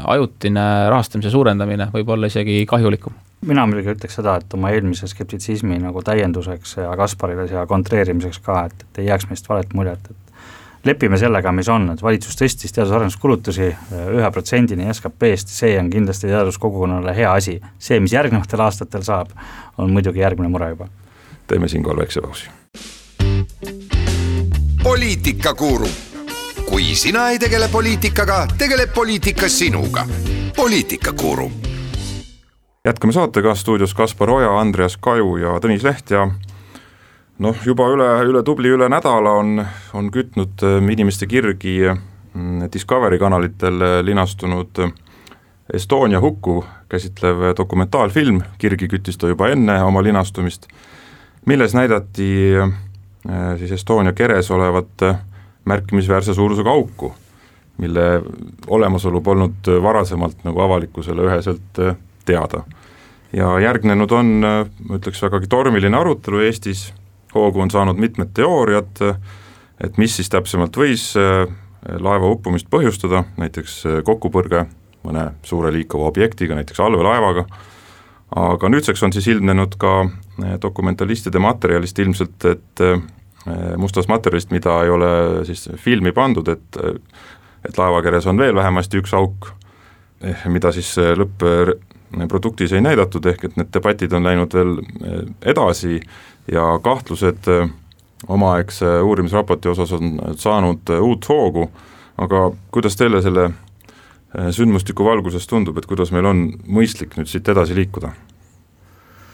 C: ajutine rahastamise suurendamine võib olla isegi kahjulikum.
D: Mina muidugi ütleks seda, et oma eelmise skeptitsismi nagu täienduseks ja Kasparile ja kontreerimiseks ka, et, et ei jääks meist valet muljet, et lepime sellega, mis on, et valitsus tõstis teadus-arenduskulutusi ühe protsendini S K P-st, see on kindlasti teaduskogukonnale hea asi. See, mis järgnevatel aastatel saab, on muidugi järgmine mure juba.
B: Teeme siinkohal väikse pausi.
A: Poliitikakuru. Kui sina ei tegele poliitikaga, tegeleb poliitika sinuga. Poliitikakuru.
B: Jätkame saatega, stuudios Kaspar Oja, Andreas Kaju ja Tõnis Leht ja noh, juba üle, üle tubli üle nädala on, on kütnud inimeste kirgi Discovery kanalitel linastunud Estonia hukku käsitlev dokumentaalfilm, kirgi küttis ta juba enne oma linastumist, milles näidati siis Estonia keres olevat märkimisväärse suurusega auku, mille olemasolu polnud varasemalt nagu avalikkusele üheselt teada. Ja järgnenud on, ma ütleks, vägagi tormiline arutelu Eestis, hoogu on saanud mitmed teooriad, et mis siis täpsemalt võis laeva uppumist põhjustada, näiteks kokkupõrge mõne suure liikuva objektiga, näiteks allveelaevaga, aga nüüdseks on siis ilmnenud ka dokumentalistide materjalist ilmselt, et mustast materjalist, mida ei ole siis filmi pandud, et, et laevakeres on veel vähemasti üks auk, mida siis lõpp produktis ei näidatud, ehk et need debatid on läinud veel edasi ja kahtlused omaaegse uurimisraporti osas on saanud uut hoogu, aga kuidas teile selle sündmustiku valguses tundub, et kuidas meil on mõistlik nüüd siit edasi liikuda?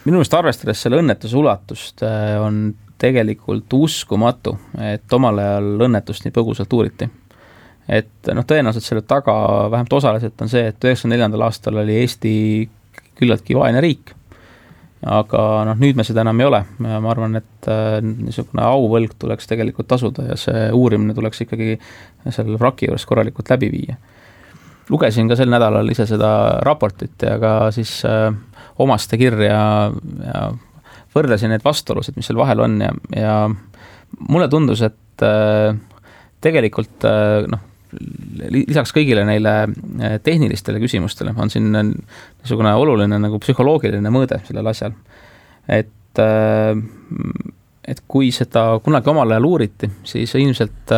C: Minu meelest arvestades selle õnnetuse ulatust on tegelikult uskumatu, et omal ajal õnnetust nii põgusalt uuriti. Et noh, tõenäoliselt selle taga vähemalt osaliselt on see, et üheksakümne neljandal aastal oli Eesti küllaltki vaene riik, aga noh, nüüd me seda enam ei ole. Ma arvan, et niisugune auvõlg tuleks tegelikult tasuda ja see uurimine tuleks ikkagi selle vraki juures korralikult läbi viia. Lugesin ka sel nädalal ise seda raportit ja ka siis äh, omaste kirja ja võrdlesin need vastuolusid, mis seal vahel on ja, ja mulle tundus, et äh, tegelikult äh, noh, lisaks kõigile neile tehnilistele küsimustele on siin niisugune oluline nagu psühholoogiline mõõde sellel asjal. Et, et kui seda kunagi omal ajal uuriti, siis ilmselt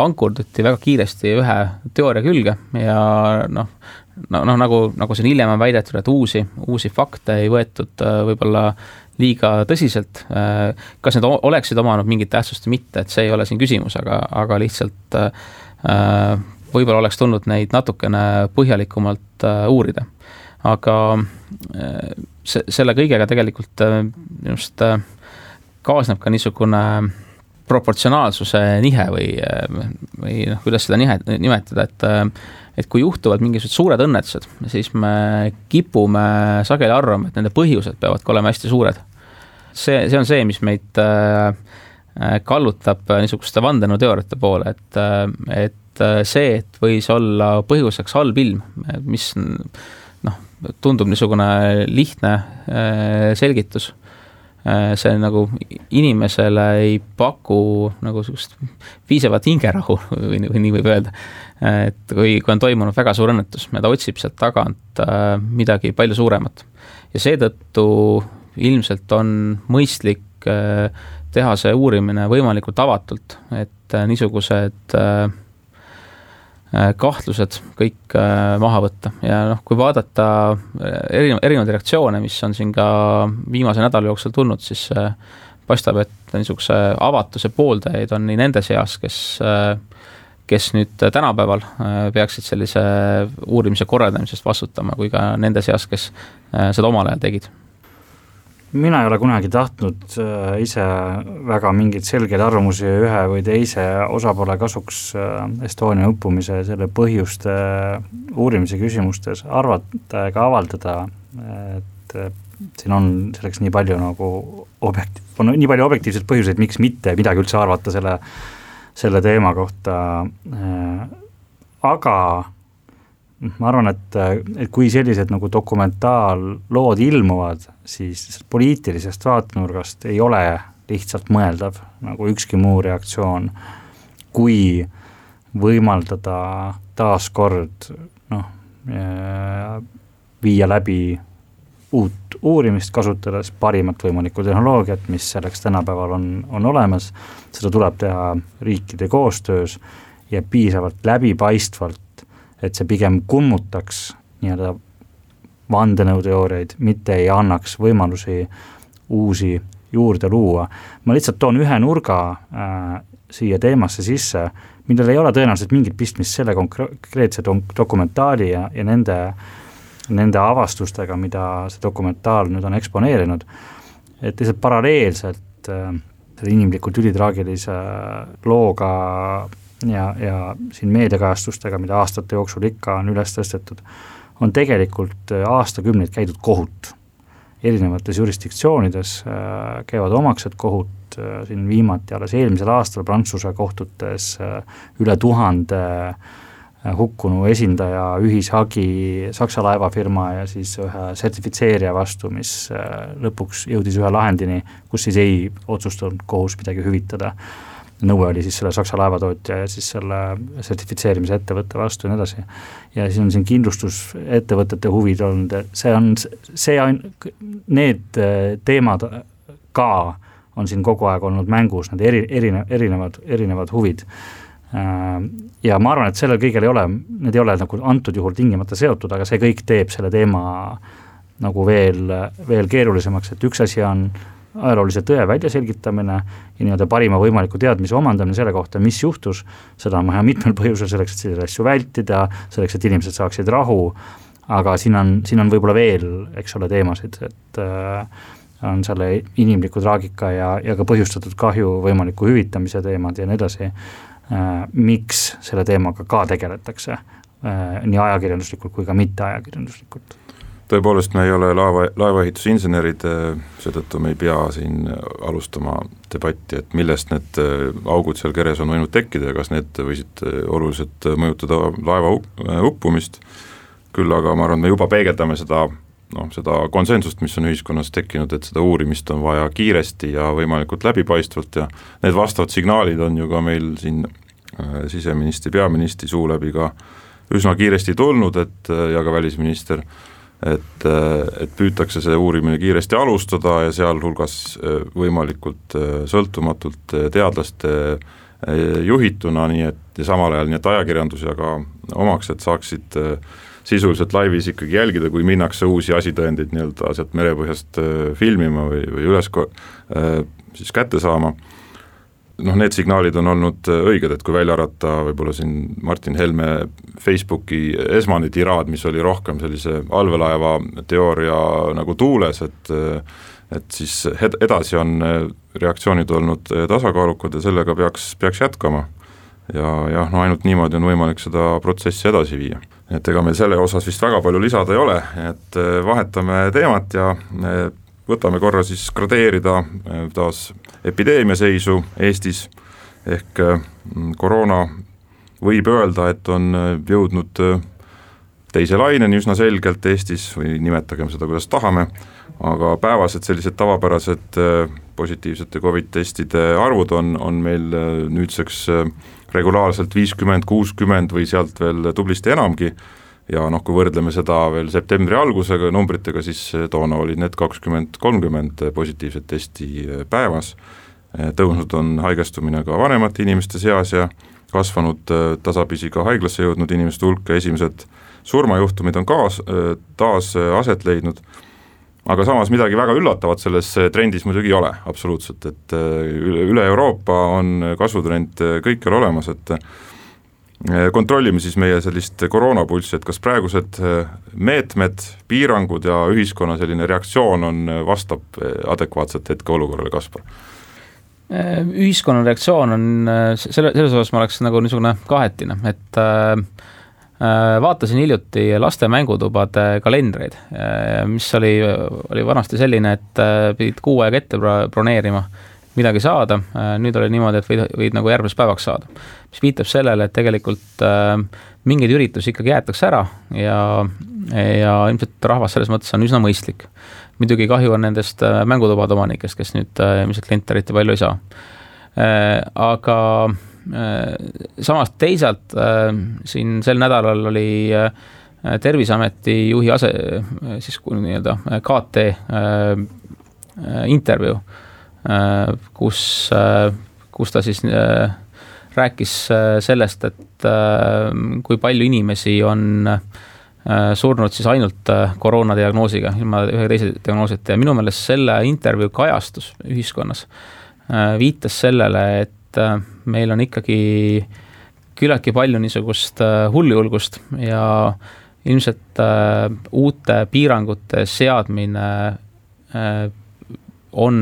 C: ankurduti väga kiiresti ühe teooria külge ja noh, no, no, nagu, nagu siin hiljem on väidetud, et uusi, uusi fakte ei võetud võib-olla liiga tõsiselt, kas need oleksid omanud mingit tähtsust või mitte, et see ei ole siin küsimus, aga, aga lihtsalt võib-olla oleks tulnud neid natukene põhjalikumalt uurida. Aga se, selle kõigega tegelikult just kaasneb ka niisugune proportsionaalsuse nihe või, või noh, kuidas seda nihe, nimetada, et et kui juhtuvad mingisugused suured õnnetused, siis me kipume sageli arvama, et nende põhjused peavad ka olema hästi suured. See, see on see, mis meid äh, kallutab niisuguste vandenõuteooriate poole, et, et see, et võis olla põhjuseks halb ilm, mis noh, tundub niisugune lihtne selgitus. See nagu inimesele ei paku nagu sellist piisavat hingerahu või, või nii võib öelda. Et kui, kui on toimunud väga suur õnnetus ja ta otsib sealt tagant midagi palju suuremat. Ja seetõttu ilmselt on mõistlik teha see uurimine võimalikult avatult, et niisugused kahtlused kõik maha võtta ja noh, kui vaadata erinevaid, erinevaid reaktsioone, mis on siin ka viimase nädala jooksul tulnud, siis paistab, et niisuguse avatuse pooldajaid on nii nende seas, kes, kes nüüd tänapäeval peaksid sellise uurimise korraldamisest vastutama, kui ka nende seas, kes seda omal ajal tegid.
D: Mina ei ole kunagi tahtnud ise väga mingeid selgeid arvamusi ühe või teise osapoole kasuks Estonia uppumise selle põhjuste uurimise küsimustes arvata ega avaldada, et siin on selleks nii palju nagu objekt, on nii palju objektiivseid põhjuseid, miks mitte midagi üldse arvata selle, selle teema kohta, aga ma arvan, et, et kui sellised nagu dokumentaallood ilmuvad, siis poliitilisest vaatenurgast ei ole lihtsalt mõeldav nagu ükski muu reaktsioon, kui võimaldada taaskord noh, viia läbi uut uurimist, kasutades parimat võimalikku tehnoloogiat, mis selleks tänapäeval on, on olemas. Seda tuleb teha riikide koostöös ja piisavalt läbipaistvalt, et see pigem kummutaks nii-öelda vandenõuteooriaid, mitte ei annaks võimalusi uusi juurde luua. Ma lihtsalt toon ühe nurga äh, siia teemasse sisse, millel ei ole tõenäoliselt mingit pistmist selle konkreetse dokumentaali ja, ja nende, nende avastustega, mida see dokumentaal nüüd on eksponeerinud. Et lihtsalt paralleelselt äh, selle inimlikult ülitraagilise looga ja, ja siin meediakajastustega, mida aastate jooksul ikka on üles tõstetud, on tegelikult aastakümneid käidud kohut. Erinevates jurisdiktsioonides käivad omaksed kohut, siin viimati alles eelmisel aastal Prantsuse kohtutes üle tuhande hukkunu esindaja ühishagi Saksa laevafirma ja siis ühe sertifitseerija vastu, mis lõpuks jõudis ühe lahendini, kus siis ei otsustanud kohus midagi hüvitada. Nõue oli siis selle Saksa laevatootja ja siis selle sertifitseerimise ettevõtte vastu ja nii edasi. Ja siis on siin kindlustusettevõtete huvid olnud, see on, see on, need teemad ka on siin kogu aeg olnud mängus, need eri, erinevad, erinevad, erinevad huvid. Ja ma arvan, et sellel kõigel ei ole, need ei ole nagu antud juhul tingimata seotud, aga see kõik teeb selle teema nagu veel, veel keerulisemaks, et üks asi on ajaloolise tõe väljaselgitamine ja nii-öelda parima võimaliku teadmise omandamine selle kohta, mis juhtus, seda on vaja mitmel põhjusel selleks, et selliseid asju vältida, selleks, et inimesed saaksid rahu, aga siin on, siin on võib-olla veel, eks ole, teemasid, et äh, on selle inimliku traagika ja, ja ka põhjustatud kahju võimaliku hüvitamise teemad ja nii edasi, äh, miks selle teemaga ka tegeletakse, äh, nii ajakirjanduslikult kui ka mitte ajakirjanduslikult.
B: Tõepoolest me ei ole laeva, laevaehitusinsenerid, seetõttu me ei pea siin alustama debatti, et millest need augud seal keres on võinud tekkida ja kas need võisid oluliselt mõjutada laeva uppumist. Küll aga ma arvan, me juba peegeldame seda, no, seda konsensust, mis on ühiskonnas tekkinud, et seda uurimist on vaja kiiresti ja võimalikult läbipaistvalt ja need vastavad signaalid on ju ka meil siin siseministri, peaministri suu läbi ka üsna kiiresti tulnud, et ja ka välisminister, et, et püütakse see uurimine kiiresti alustada ja sealhulgas võimalikult sõltumatult teadlaste juhituna, nii et ja samal ajal nii et ajakirjandus ja ka omaksed saaksid sisuliselt laivis ikkagi jälgida, kui minnakse uusi asitõendeid nii-öelda sealt merepõhjast filmima või, või üles siis kätte saama. Noh, need signaalid on olnud õiged, et kui välja arvata võib-olla siin Martin Helme Facebooki esmane tiraad, mis oli rohkem sellise allveelaeva teooria nagu tuules, et, et siis edasi on reaktsioonid olnud tasakaalukad ja sellega peaks, peaks jätkama. Ja jah, no ainult niimoodi on võimalik seda protsessi edasi viia. Et ega meil selle osas vist väga palju lisada ei ole, et vahetame teemat ja võtame korra siis gradeerida taas epideemia seisu Eestis, ehk koroona võib öelda, et on jõudnud teise laineni üsna selgelt Eestis või nimetagem seda, kuidas tahame, aga päevased sellised tavapärased positiivsete Covid-testide arvud on, on meil nüüdseks regulaarselt viiskümmend, kuuskümmend või sealt veel tublisti enamgi ja noh, kui võrdleme seda veel septembri algusega numbritega, siis toona olid need kakskümmend, kolmkümmend positiivset testi päevas, tõusnud on haigestumine ka vanemate inimeste seas ja kasvanud tasapisi ka haiglasse jõudnud inimeste hulk ja esimesed surmajuhtumid on kaas, taas aset leidnud, aga samas midagi väga üllatavat selles trendis muidugi ei ole absoluutselt, et üle Euroopa on kasvutrend kõikjal olemas, et kontrollime siis meie sellist koroonapulssi, et kas praegused meetmed, piirangud ja ühiskonna selline reaktsioon on, vastab adekvaatselt hetkeolukorrale, Kaspar?
C: Ühiskonna reaktsioon on, selle, selles osas ma oleks nagu niisugune kahetine, et äh, vaatasin hiljuti laste mängutubade kalendreid, mis oli, oli vanasti selline, et pidid kuu aega ette broneerima midagi saada, nüüd oli niimoodi, et võid, võid nagu järgmiseks päevaks saada, mis viitab sellele, et tegelikult mingeid üritusi ikkagi jäetakse ära ja, ja ilmselt rahvas selles mõttes on üsna mõistlik. Muidugi kahju on nendest mängutubade omanikest, kes nüüd ilmselt kliente eriti palju ei saa. Aga samas teisalt siin sel nädalal oli Terviseameti juhi ase, siis nii-öelda K T intervjuu, kus, kus ta siis rääkis sellest, et kui palju inimesi on surnud siis ainult koroonadiagnoosiga, ilma ühe teise diagnoosita ja minu meelest selle intervjuu kajastus ühiskonnas viitas sellele, et meil on ikkagi küllaltki palju niisugust hullujulgust ja ilmselt uute piirangute seadmine on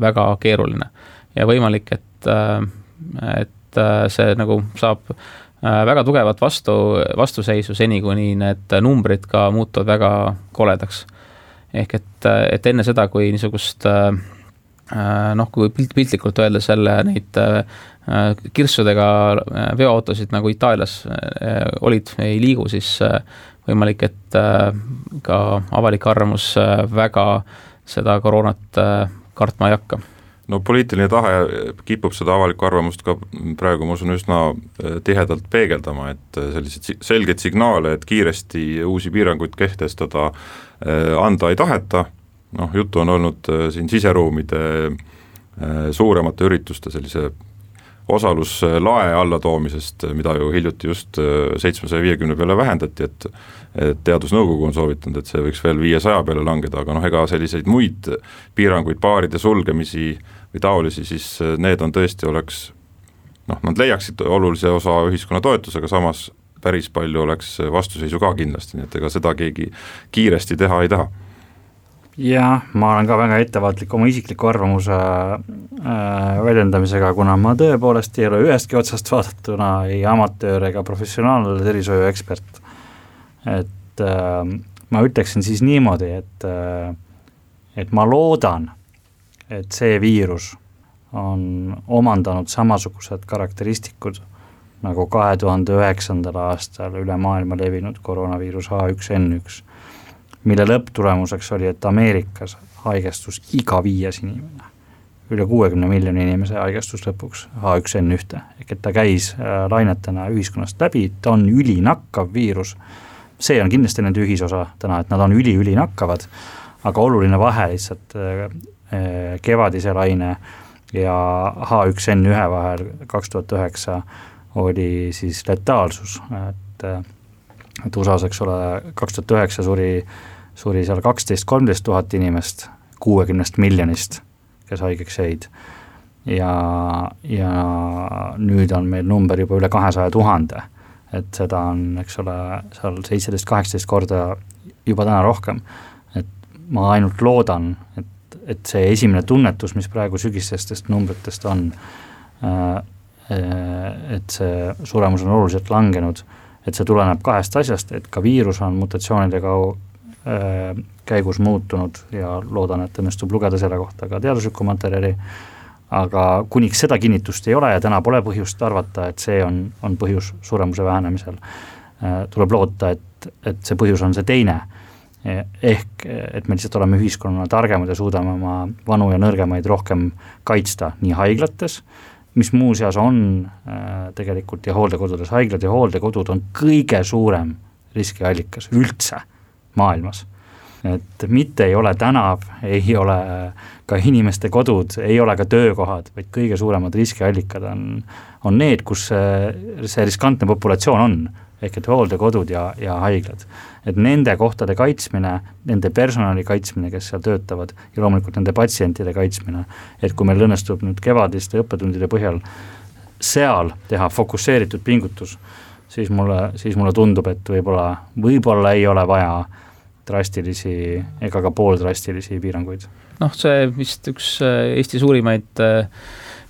C: väga keeruline ja võimalik, et, et see nagu saab väga tugevat vastu, vastuseisu seni, kuni need numbrid ka muutuvad väga koledaks. Ehk et, et enne seda, kui niisugust noh, kui pilt, piltlikult öelda selle neid kirssudega veoautosid nagu Itaalias olid, ei liigu, siis võimalik, et ka avalik arvamus väga seda koroonat kartma ei hakka.
B: No poliitiline tahe kipub seda avalikku arvamust ka praegu, ma usun, üsna tihedalt peegeldama, et sellised selged signaale, et kiiresti uusi piiranguid kehtestada anda ei taheta. Noh, juttu on olnud siin siseruumide suuremate ürituste sellise osaluslae alla toomisest, mida ju hiljuti just seitsmesaja viiekümne peale vähendati, et, et teadusnõukogu on soovitanud, et see võiks veel viiesaja peale langeda, aga noh, ega selliseid muid piiranguid, baaride sulgemisi või taolisi, siis need on tõesti oleks, noh, nad leiaksid olulise osa ühiskonna toetusega, samas päris palju oleks vastuseisu ka kindlasti, nii et ega seda keegi kiiresti teha ei taha.
D: Ja ma olen ka väga ettevaatlik oma isikliku arvamuse äh, väljendamisega, kuna ma tõepoolest ei ole ühestki otsast vaadatuna ei amatöör ega professionaalne tervishoiu ekspert. Et äh, ma ütleksin siis niimoodi, et, äh, et ma loodan, et see viirus on omandanud samasugused karakteristikud nagu kahe tuhande üheksandal aastal üle maailma levinud koroonaviirus H üks N üks, mille lõpptulemuseks oli, et Ameerikas haigestus iga viies inimene, üle kuuekümne miljoni inimese haigestus lõpuks H üks N üks, ehk et ta käis lainetena ühiskonnast läbi, ta on ülinakkav viirus, see on kindlasti nende ühisosa täna, et nad on üli-üli nakkavad, aga oluline vahe lihtsalt kevadise laine ja H üks N üks vahel kaks tuhat üheksa oli siis letaalsus, et, et U S A-s, eks ole, kaks tuhat üheksa suri suri seal kaksteist kolmteist tuhat inimest kuuekümnest miljonist, kes haigeks jäid. Ja, ja nüüd on meil number juba üle kahesaja tuhande, et seda on, eks ole, seal seitseteist kaheksateist korda juba täna rohkem. Et ma ainult loodan, et, et see esimene tunnetus, mis praegu sügistestest numbritest on, et see suremus on oluliselt langenud, et see tuleneb kahest asjast, et ka viirus on mutatsioonidega käigus muutunud ja loodan, et õnnestub lugeda selle kohta ka teaduslikku materjali, aga kuniks seda kinnitust ei ole ja täna pole põhjust arvata, et see on, on põhjus suremuse vähenemisel. Tuleb loota, et et, et see põhjus on see teine. Ehk, et me lihtsalt oleme ühiskonnana targemad ja suudame oma vanu ja nõrgemaid rohkem kaitsta nii haiglates, mis muuseas on äh, tegelikult ja hooldekodudes, haiglad ja hooldekodud on kõige suurem riskiallikas üldse maailmas. Et mitte ei ole tänav, ei ole ka inimeste kodud, ei ole ka töökohad, vaid kõige suuremad riskiallikad on, on need, kus see, see riskantne populatsioon on, ehk et hooldekodud ja, ja haiglad. Et nende kohtade kaitsmine, nende personali kaitsmine, kes seal töötavad ja loomulikult nende patsientide kaitsmine, et kui meil õnnestub nüüd kevadiste õppetundide põhjal seal teha fokusseeritud pingutus, siis mulle, siis mulle tundub, et võib-olla, võib-olla ei ole vaja drastilisi ega ka pooldrastilisi piiranguid.
C: Noh, see vist üks Eesti suurimaid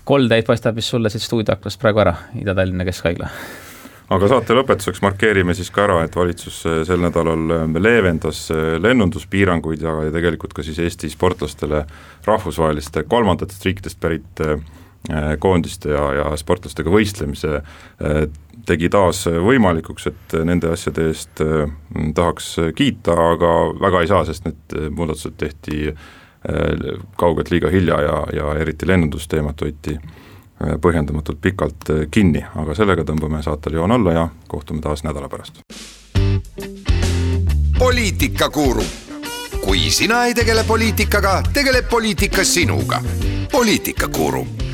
C: koldeid paistab vist sulle siit stuudioaklast praegu ära, Ida-Tallinna Keskhaigla.
B: Aga saate lõpetuseks markeerime siis ka ära, et valitsus sel nädalal leevendas lennunduspiiranguid ja tegelikult ka siis Eesti sportlastele rahvusvaheliste kolmandatest riikidest pärit koondiste ja, ja sportlastega võistlemise tegi taas võimalikuks, et nende asjade eest tahaks kiita, aga väga ei saa, sest need muudatused tehti kaugelt liiga hilja ja, ja eriti lennundusteemat võeti põhjendamatult pikalt kinni, aga sellega tõmbame saatel joon alla ja kohtume taas nädala pärast.
A: Poliitikakuru. Kui sina ei tegele poliitikaga, tegeleb poliitika sinuga. Poliitikakuru.